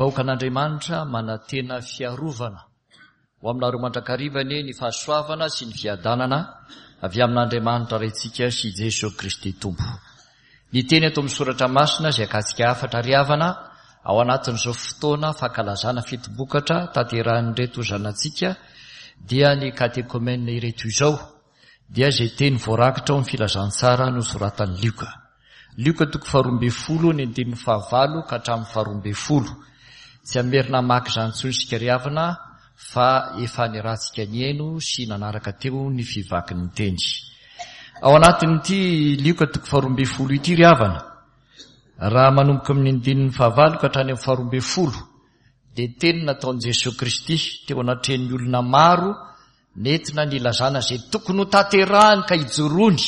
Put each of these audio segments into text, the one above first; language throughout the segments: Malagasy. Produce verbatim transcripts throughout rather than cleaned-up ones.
Vahoakan'Andriamanitra manantena fiarovana. Ho aminareo mandrakariva anie ny fahasoavana sy ny fiadanana avy amin'Andriamanitra Raintsika sy Jesoa Kristy Tompo. Ny teny ato amin'ny soratra masina izay akatsika hafatra ry havana ao anatin'izao fotoana fankalazana fitombokatra tanterahin'ireto zanatsika dia ny katekomena ireto izao dia izay teny voarakitra ao amin'ny filazantsara nosoratan'i Lioka. Lioka toko faharoa ambin'ny folo ny andininy fahavalo ka hatramin'ny faharoa ambin'ny folo. Tsy hamerina hamaky izany intsony isika ry havana fa efa niarahantsika nihaino sy nanaraka teo ny fivakin'ny teny. Ao anatin'ity Lioka toko faharoa ambin'ny folo ity ry havana, raha manomboka amin'ny andininy fahavalo ka hatrany amin'ny faharoa ambin'ny folo, dia teny nataon'i Jesoa Kristy teo anatrehan'ny olona maro nentina nilazana izay tokony ho tanterahany ka hijoroany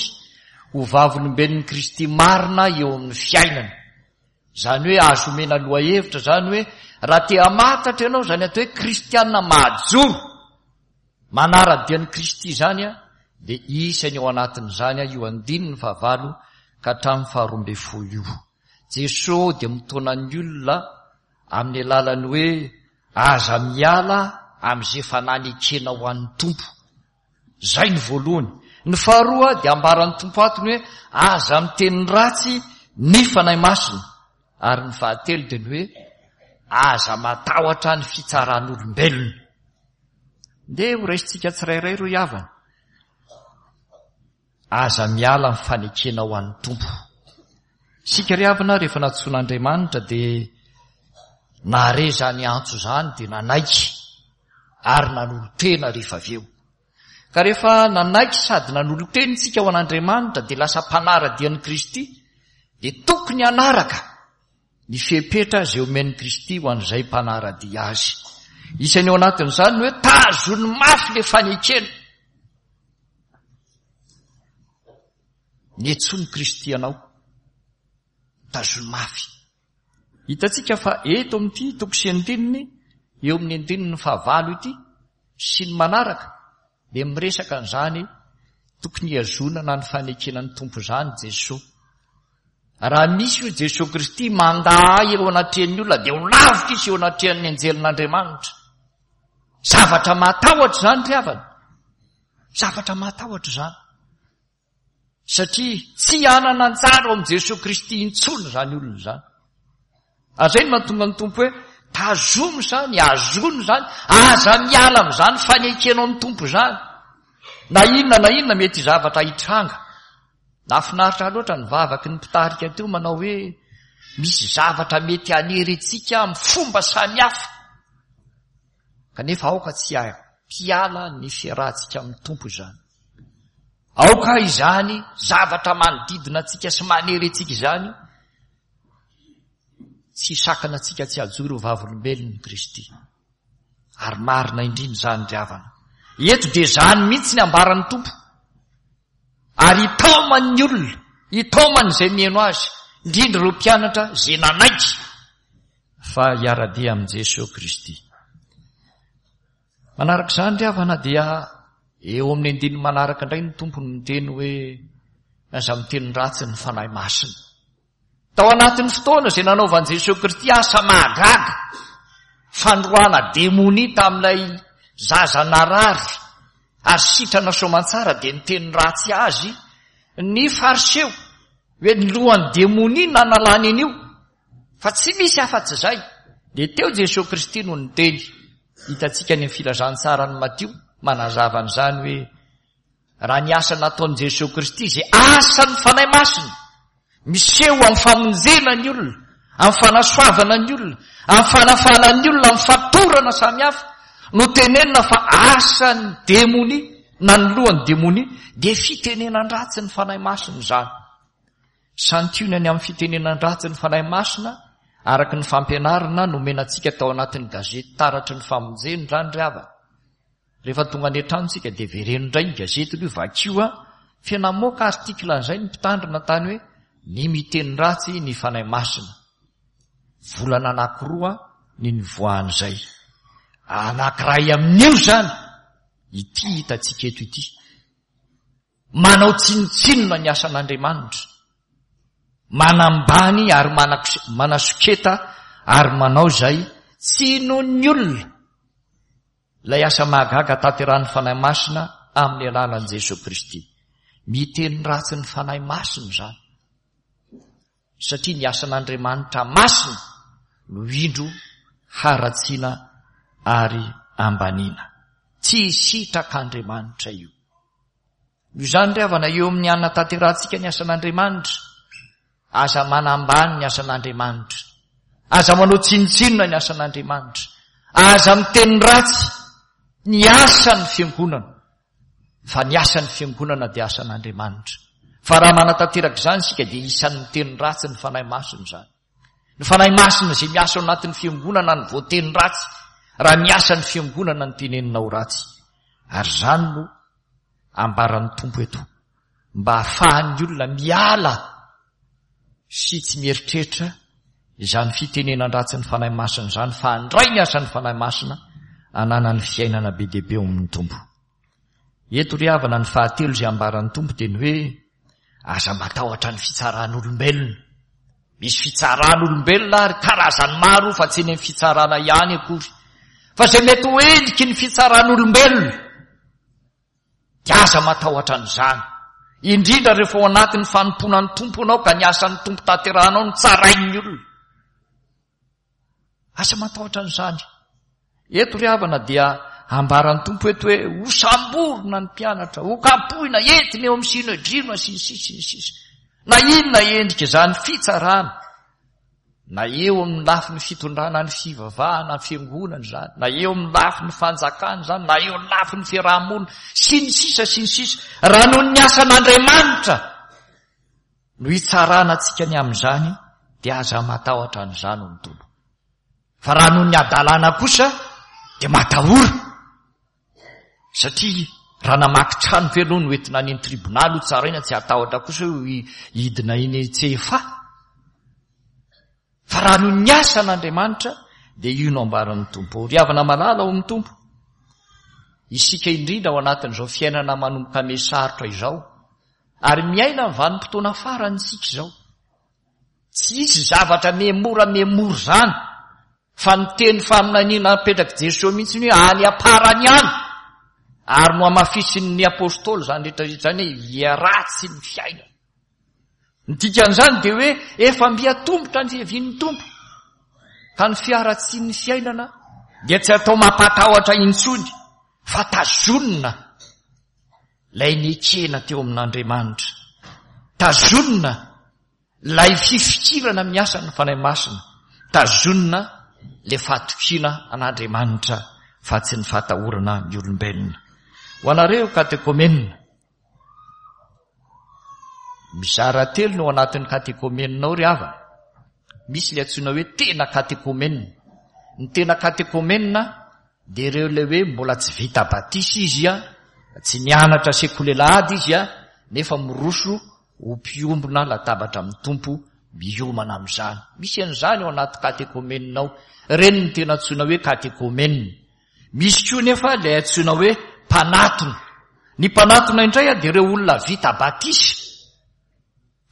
ho vavolombelon'i Kristy marina eo amin'ny fiainany. Izany hoe azo omena lohahevitra izany hoe raha te hamantatra ianao izany atao hoe kristiana mahajoro manara-dia an'i Kristy izany dia isany ao anatin'izany io andininy fahavalo ka hatramin'ny faharoa ambin'ny folo io. Jesoa dia mitaona ny olona amin'ny alalan'ny hoe aza miala amin'izay efa nanekena ho an'ny Tompo. Izay ny voalohany. Ny faharoa dia ambaran'ny Tompo ato ny hoe aza miteny ratsy ny Fanahy Masina. Ary ny fahatelo dia ny hoe aza matahotra ny fitsaran'olombelona. Ndeha ho raisintsika tsirairay ro havana. Aza miala amin'ny fanekena ho an'ny Tompo. Isika ry havana rehefa nantsoin'Andriamanitra dia nahare izany antso izany dia nanaiky ary nanolo-tena rehefa avy eo. Ka rehefa nanaiky sady nanolo-tena isika ho an'Andriamanitra dia lasa mpanara-dia an'i Kristy, dia tokony hanaraka ny fepetra izay omen'i Kristy ho an'izay mpanara-dia azy. Isany ao anatin'izany ny hoe tazony mafy le fanekena. Niantsoan'i Kristy anao, tazony mafy. Hitantsika fa eto amin'ity toko sy andininy, eo amin'ny andininy fahavalo ity sy ny manaraka, dia miresaka an'izany tokony hihazonana ny fanekena ny Tompo izany Jesoa. Raha misy io Jesoa Kristy mandà ahy eo anatrehan'ny olona dia ho lavitra izy eo anatrehan'ny anjelin'Andriamanitra. Zavatra mahatahotra izany ry havana. Zavatra mahatahotra izany. Satria tsy hanana anjara ao amin'i Jesoa Kristy intsony izany olona izany. Ary izay no mahatonga ny Tompo hoe tazomy izany, azony izany, aza miala amin'izany fanekenao ny Tompo izany. Na inona na inona mety zavatra hitranga. Nahafinaritra loatra ny vavaky ny mpitarika teo manao hoe misy zavatra mety hanery antsika amin'ny fomba samihafa. Kanefa aoka tsy hampiala ny fiarahantsika amin'ny Tompo izany. Aoka izany zavatra manodidina antsika sy manery antsika izany tsy hisakana antsika tsy hajoro ho vavolombelon'i Kristy. Ary marina indrindra izany ry havana. Eto dia izany mihitsy ny ambaran'ny Tompo. Ary hitaomany ny olona, hitaomany izay mihaino azy, indrindra ireo mpianatra izay nanaiky fa hiara-dia amin'i Jesoa Kristy. Manaraka izany ry havana dia eo amin'ny andininy manaraka indray ny Tompo no miteny hoe aza miteny ratsy ny Fanahy Masina. Tao anatin'ny fotoana izay nanaovan'i Jesoa Kristy asa mahagaga, fandroahana demonia tamin'ilay zaza narary ary sitrana soamantsara, dia niteny ratsy azy ny Fariseo hoe ny lohan'ny demonia nanalany an'io, fa tsy misy afa-tsy izay. Dia teo Jesoa Kristy no niteny. Hitantsika ny filazantsaran'i Matio manazava an'izany hoe raha ny asa nataon'i Jesoa Kristy izay asan'ny Fanahy Masina miseho amin'ny famonjena ny olona, amin'ny fanasoavana ny olona, amin'ny fanafana ny olona, amin'ny fatorana samihafa, no tenenina fa asan'ny demonia na ny lohan'ny demonia, dia fitenenan-dratsy ny Fanahy Masina izany. Santionany amin'ny fitenenan-dratsy ny Fanahy Masina araka ny fampianarana nomena antsika tao anatin'ny gazety Taratry ny Famonjena izany ry havana. Rehefa tonga any an-trano isika dia vereno indray ny gazety aloha, vakio a, fa namoaka article an'izay ny mpitandrina tany hoe ny miteny ratsy ny Fanahy Masina. Volana anankiroa ny nivoahan'izay. Anankiray amin'io izany ity hitantsika eto ity. Manao tsinontsinona ny asan'Andriamanitra. Manambany ary manasoketa ary manao izay Tsy inoan'ny olona ilay asa mahagaga tanterahin'ny Fanahy Masina amin'ny alalan'i Jesoa Kristy. Miteny ratsy ny Fanahy Masina izany. Satria ny asan'Andriamanitra masina no indro haratsiana ary ambaniana. Tsy sitrak'Andriamanitra io. Noho izany ry havana, eo amin'ny hanatanterahantsika ny asan'Andriamanitra, aza manambany ny asan'Andriamanitra. Aza manao tsinontsinona ny asan'Andriamanitra. Aza miteny ratsy ny asan'ny fiangonana. Fa ny asan'ny fiangonana dia asan'Andriamanitra. Fa raha manatanteraka izany isika dia isan'ny miteny ratsy ny Fanahy Masina izany. Ny Fanahy Masina izay miasa ao anatin'ny fiangonana no voateny ratsy, raha ny asan'ny fiangonana no tenenina ho ratsy. Ary izany no ambaran'ny Tompo eto, mba hahafahan'ny olona miala sy tsy mieritreritra izany fitenenan-dratsy ny Fanahy Masina izany, fa handray ny asan'ny Fanahy Masina ananan'ny fiainana be dia be ao amin'ny Tompo. Eto ry havana, ny fahatelo izay ambaran'ny Tompo dia ny hoe aza matahotra ny fitsaran'olombelona. Misy fitsaran'olombelona ary karazany maro, fa tsy eny amin'ny fitsarana ihany akory, fa izay mety ho endriky ny fitsaran'olombelona dia aza matahotra an'izany. Indrindra rehefa ao anatin'ny fanompoana ny Tompo ianao ka ny asan'ny Tompo tanterahanao no tsarain'ny olona. Aza matahotra an'izany. Eto ry havana dia ambaran'ny Tompo eto hoe hosamborina ny mpianatra, hokapohina, entina eo amin'ny Synedriona sy ny sisa sy ny sisa. Na inona endrika izany fitsarana, na eo amin'ny lafiny fitondrana ny fivavahana, ny fiangonana izany, na eo amin'ny lafiny fanjakana izany, na eo amin'ny lafiny fiarahamonina, sy ny sisa sy ny sisa. Raha noho ny asan'Andriamanitra no hitsarana antsika ny amin'izany, dia aza matahotra an'izany hoy ny Tompo. Fa raha noho ny hadalana kosa dia matahora, satria raha namaky trano ve aloha no entina any amin'ny tribonaly ho tsaraina, tsy hatahotra kosa hoe hidina eny C F A. Fa raha noho ny asan'Andriamanitra dia io no ambaran'ny Tompo. Ry havana malala ao amin'ny Tompo, isika indrindra ao anatin'izao fiainana manomboka miha-sarotra izao, ary miaina ny vanim-potoana farany isika izao. Tsy hisy zavatra miha-mora miha-mora izany, fa ny teny faminaniana napetrak'i Jesoa mihitsy ny hoe any am-parany any, ary nohamafisin'ny apôstôly izany rehetra rehetra izany hoe hiharatsy ny fiainana. Ny dikan'izany dia hoe efa mby atombotra ny fiavian'ny Tompo, ka ny fiharatsian'ny fiainana dia tsy atao mampatahotra intsony, fa tazonina ilay nekena teo amin'Andriamanitra, tazonina ilay fifikirana amin'ny asan'ny Fanahy Masina, tazonina ilay fahatokiana an'Andriamanitra fa tsy ny fahatahorana ny olombelona. Ho anareo katekomenina, mizara telo no ao anatin'ny katekomenina ao ry havana. Misy ilay antsoina hoe tena katekomenina. Ny tena katekomenina dia ireo ilay hoe mbola tsy vita batisa izy, tsy nianatra sekoly alahady izy, nefa miroso ho mpiombona latabatra amin'ny Tompo, miomana amin'izany. Misy an'izany ao anaty katekomenina ao. Ireny ny tena antsoina hoe katekomenina. Misy koa nefa ilay antsoina hoe mpanatona. Ny mpanatona indray dia ireo olona vita batisa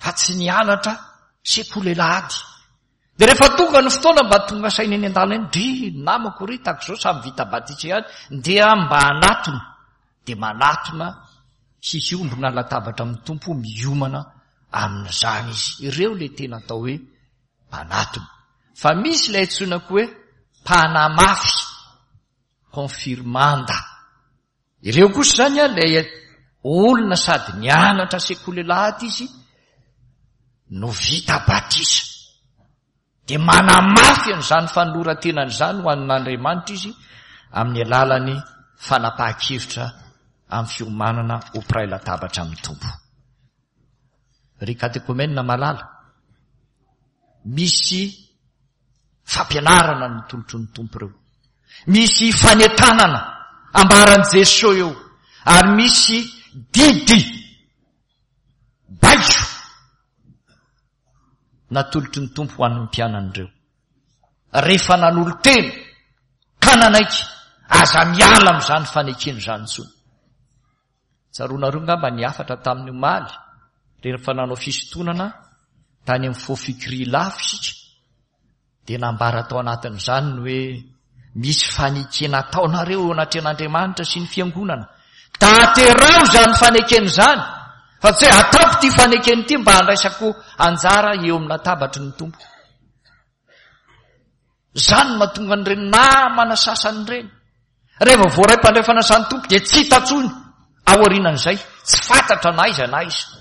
fa tsy nianatra sekoly alahady. Dia rehefa tonga ny fotoana mba tonga saina eny an-dalana eny, dry namako ry tahaka izao samy vita batisa ihany, ndeha mba hanatona. Dia manatona hiombona latabatra amin'ny Tompo, miomana amin'izany izy. Ireo ilay tena atao hoe mpanatona. Fa misy ilay antsoina koa hoe mpanamafy, confirmanda. Ireo kosa izany ilay olona sady nianatra sekoly alahady izy no vita batisa. Dia manamafy an'izany fanoloran-tenany izany ho an'Andriamanitra izy amin'ny alalan'ny fanapahan-kevitra amin'ny fiomanana ho mpiray latabatra amin'ny Tompo. Ry katekomenina malala, misy fampianarana ny tolotry ny Tompo ireo. Misy fanentanana ambaran'i Jesoa eo, ary misy didy baiko natolotry ny Tompo ho an'ny mpianany ireo. Rehefa nanolo-tena ka nanaiky, aza miala amin'izany fanekena izany intsony. Tsaroanareo angamba ny hafatra tamin'ny omaly, rehefa nanao fisintonana tany amin'ny Fofikri Ilafy isika, Dia nambara tao anatin'izany ny hoe misy fanekena ataonareo eo anatrehan'Andriamanitra sy ny fiangonana. Tanterao izany fanekena izany, fa tsy hoe ataoko ity fanekena ity mba handraisako anjara eo amin'ny latabatry ny Tompo. Izany no mahatonga an'ireny namana sasany ireny. Rehefa voaray mpandray fanasan'ny Tompo dia tsy hita intsony aorianan'izay, tsy fantatra na aiza na aiza.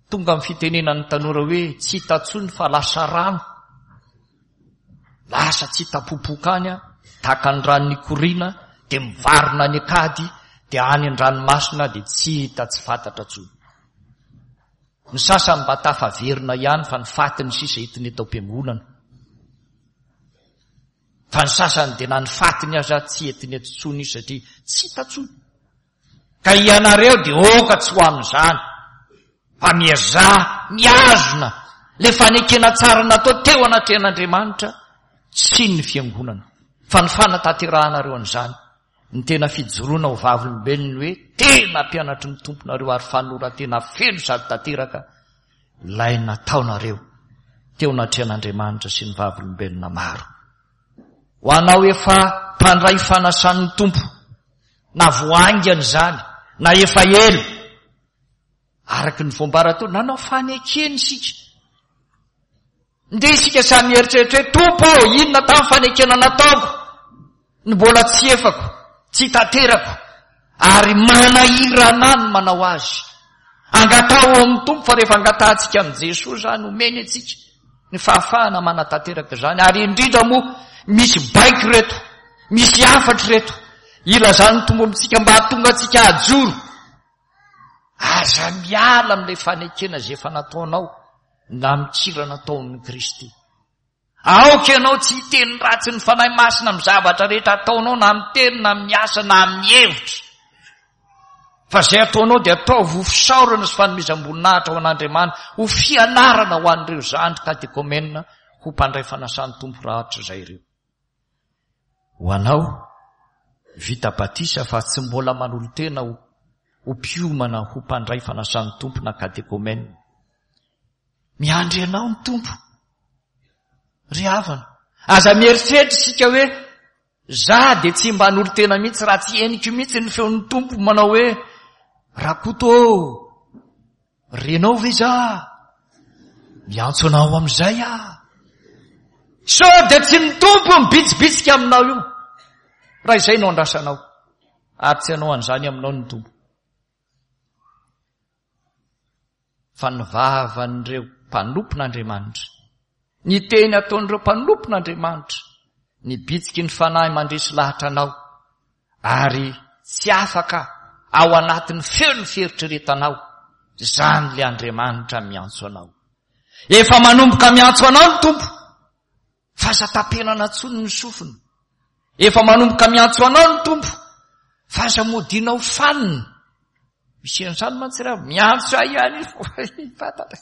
Tonga amin'ny fitenenan'ny tanora hoe tsy hita intsony fa lasa rano. Lasa tsy hita popoka any, tahaka ny rano nikoriana, dia mivarina any an-kady, dia any an-dranomasina dia tsy hita, tsy fantatra intsony. Ny sasany mba tafaverina ihany fa ny fatiny sisa entiny eto am-piangonana. Fa ny sasany dia na ny fatiny aza tsy entiny eto intsony izy satria tsy hita intsony. Ka ianareo dia oka tsy ho amin'izany, fa miezaha mihazona le fanekena tsara natao teo anatrehan'Andriamanitra sy ny fiangonana. Fa ny fanatanterahanareo an'izany, ny tena fijoroana ho vavolombelona hoe tena mpianatry ny Tomponareo ary fanoloran-tena feno sady tanteraka ilay nataonareo teo anatrehan'Andriamanitra sy ny vavolombelona maro. Ho anao efa mpandray fanasan'ny Tompo, na voaingana izany, na efa ela, araka ny voambara teo, nanao fanekena isika. Ndeha isika samy mieritreritra hoe, Tompo ô, inona tamin'ny fanekena nataoko no mbola tsy efako, tsy tanterako, ary manahirana ny manao azy. Angataho ao amin'ny Tompo, fa rehefa angatahantsika amin'i Jesoa izany, omeny antsika ny fahafahana manatanteraka izany. Ary indrindra moa, misy baiko ireto, misy hafatra ireto, ilazan'ny Tompo amintsika mba hahatonga antsika hajoro. Aza miala amin'ilay fanekena izay efa nataonao na mikirana tao amin'i Kristy. Aoka ianao tsy hiteny ratsy ny Fanahy Masina amin'ny zavatra rehetra ataonao, na amin'ny teny, na amin'ny asa, na amin'ny hevitra. Fa izay ataonao dia ataovy ho fisaorana sy fanomezam-boninahitra ho an'Andriamanitra, ho fianarana ho an'ireo zandry katekomena ho mpandray fanasan'ny Tompo rahatrizay ireo. Ho anao, vita batisa fa tsy mbola manolo-tena ho ho mpiomana ho mpandray fanasan'ny Tompo na katekomena. Miandry anao ny Tompo. Ry havana, aza mieritreritra isika hoe za dia tsy mba hanolo-tena mihitsy raha tsy henoko mihitsy ny feon'ny Tompo manao hoe Rakoto ô, renao ve za? Miantso anao amin'izay aho. Sao dia tsy ny Tompo mibitsibitsika aminao io, raha izay no andrasanao, ary tsy hanao an'izany aminao ny Tompo. Fa ny vavan'ireo mpanompon'Andriamanitra, ny teny ataon'ireo mpanompon'Andriamanitra, ny bitsiky ny Fanahy mandresy lahatra anao, ary tsy afaka ao anatin'ny feon'ny fieritreretanao, izany ilay Andriamanitra miantso anao. Efa manomboka miantso anao ny Tompo, fa aza tapenana intsony ny sofina. Efa manomboka miantso anao ny Tompo, fa aza modianao fanina. Misy an'izany mantsy raha miantso ahy ihany izy, fantatra.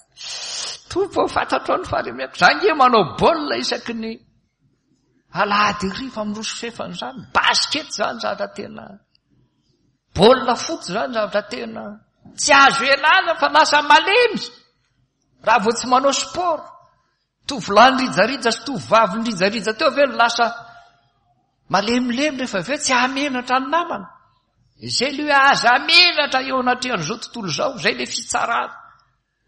Tompo, fantatro ny fahalemeko. Za nge manao baolina isaky ny alahady hariva miroso fefana izany. Basket izany zavatra tena, baolina fotsy izany zavatra tena tsy azo ialana fa lasa malemy raha vao tsy manao sport. Tovolahy nirijarija sy tovovavy nirijarija teo ve no lasa malemilemy rehefa avy eo tsy hahamenatra ny namana. Izay ilay hoe aza menatra eo anatrehan'izao tontolo izao, izay ilay fitsarana,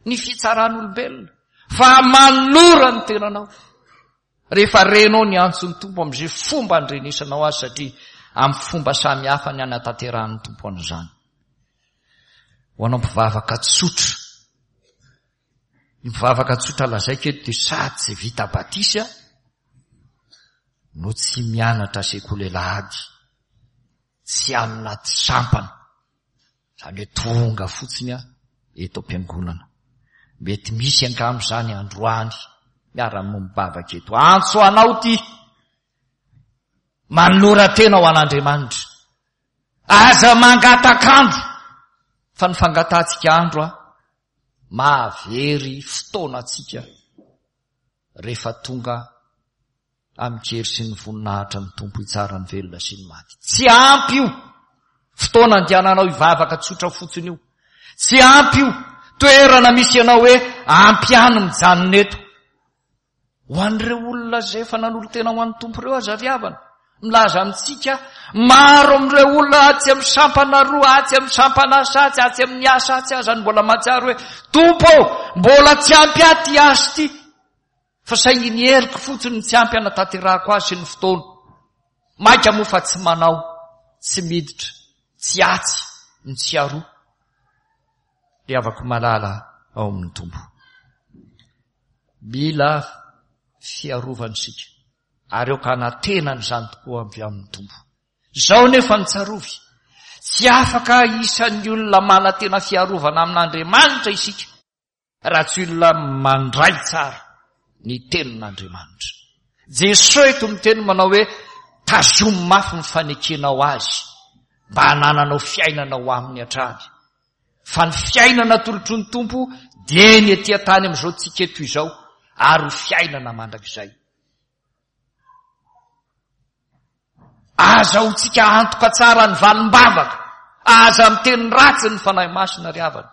ny fitsaran'olombelona. Fa manolora ny tenanao. Rehefa renao ny antson'ny Tompo amin'izay fomba andrenesanao azy, satria amin'ny fomba samy hafa ny hanatanterahan'ny Tompo an'izany. Ho anao mpivavaka tsotra, ny mpivavaka tsotra lazaiko eto dia sady tsy vita batisa no tsy mianatra sekoly alahady, tsy anaty sampana, izany hoe tonga fotsiny aho eto am-piangonana. Mety misy angamba izany androany miara-mibavaka eto. Antso anao ity, manolora tena ho an'Andriamanitra. Aza mangatak'andro, fa ny fangatahantsika andro a, mahavery fotoana antsika rehefa tonga amin-kery sy ny voninahitra ny Tompo hitsara ny velona sy ny maty. Tsy ampy io fotoana andehananao hivavaka tsotra fotsiny io. Tsy ampy io toerana misy ianao hoe ampy ihany mijanona eto. Ho an'ireo olona izay efa nanolo-tena ho an'ny Tompo ireo aza ry havana. Milaza amintsika, maro amin'ireo olona atsy amin'ny sampana roa, atsy amin'ny sampana asa atsy, atsy amin'ny asa atsy aza no mbola mahatsiaro hoe, Tompo ô, mbola tsy ampy ahy ity asa ity. Fa saingy ny heriko fotsiny no tsy ampy hanatanterahako azy sy ny fotoana. Mainka moa fa tsy manao, tsy miditra, tsy atsy, ny tsy aroa. Ry havako malala ao amin'ny Tompo. Mila fiarovana isika, ary aoka hanantena an'izany tokoa avy amin'ny Tompo. Izao nefa no tsarovy, tsy afaka isan'ny olona manantena fiarovana amin'Andriamanitra isika, raha tsy olona mandray tsara ny tenin'Andriamanitra. Jesoa eto miteny manao hoe, tazomy mafy ny fanekenao azy, mba hanananao fiainana ho aminy hatrany. Fa ny fiainana atolotry ny Tompo dia ny ety an-tany amin'izao tsika eto izao, ary ho fiainana mandrakizay. Azahoantsika antoka tsara ny valim-bavaka. Aza miteny ratsy ny Fanahy Masina ry havana.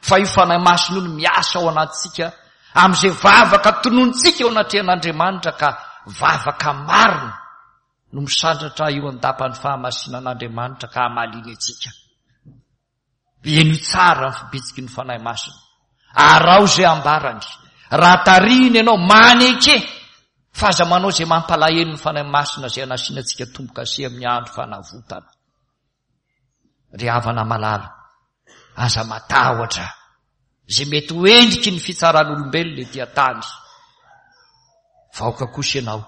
Fa io Fanahy Masina io no miasa ao anatintsika amin'izay vavaka tonontsika eo anatrehan'Andriamanitra ka vavaka marina no misandratra eo an-dapan'ny fahamasinan'Andriamanitra ka hamaliany antsika. Henoy tsara ny fibitsiky ny Fanahy Masina. Araho izay ambarany. Raha tarihiny ianao, maneke fa aza manao izay mampalahelo ny Fanahy Masina izay anasiana antsika tombo-kase amin'ny andro fanavotana. Ry havana malala, aza matahotra izay mety ho endriky ny fitsaran'olombelona ety an-tany. Fa aoka kosa ianao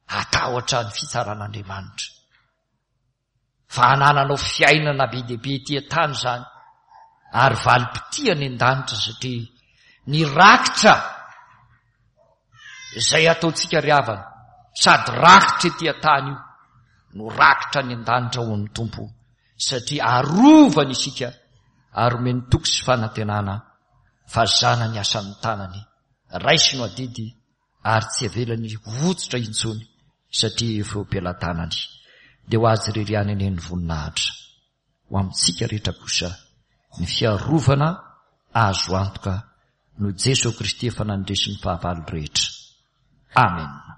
hatahotra ny fitsaran'Andriamanitra. Fa hanananao fiainana be dia be ety an-tany izany, ary valim-pitia any an-danitra, satria ny rakitra izay ataontsika ry havana, sady rakitra ety an-tany io, no rakitra any an-danitra ho an'ny Tompo, satria arovany isika ary omeny toky sy fanantenana fa zanany asan'ny tanany, raisiny ho adidy ary tsy avelany votsotra intsony satria efa eo am-pelatanany. Dia ho azy irery ihany anie ny voninahitra. Ho amintsika rehetra kosa ny fiarovana azo antoka noho Jesoa Kristy efa nandresy ny fahavalo rehetra. Amen.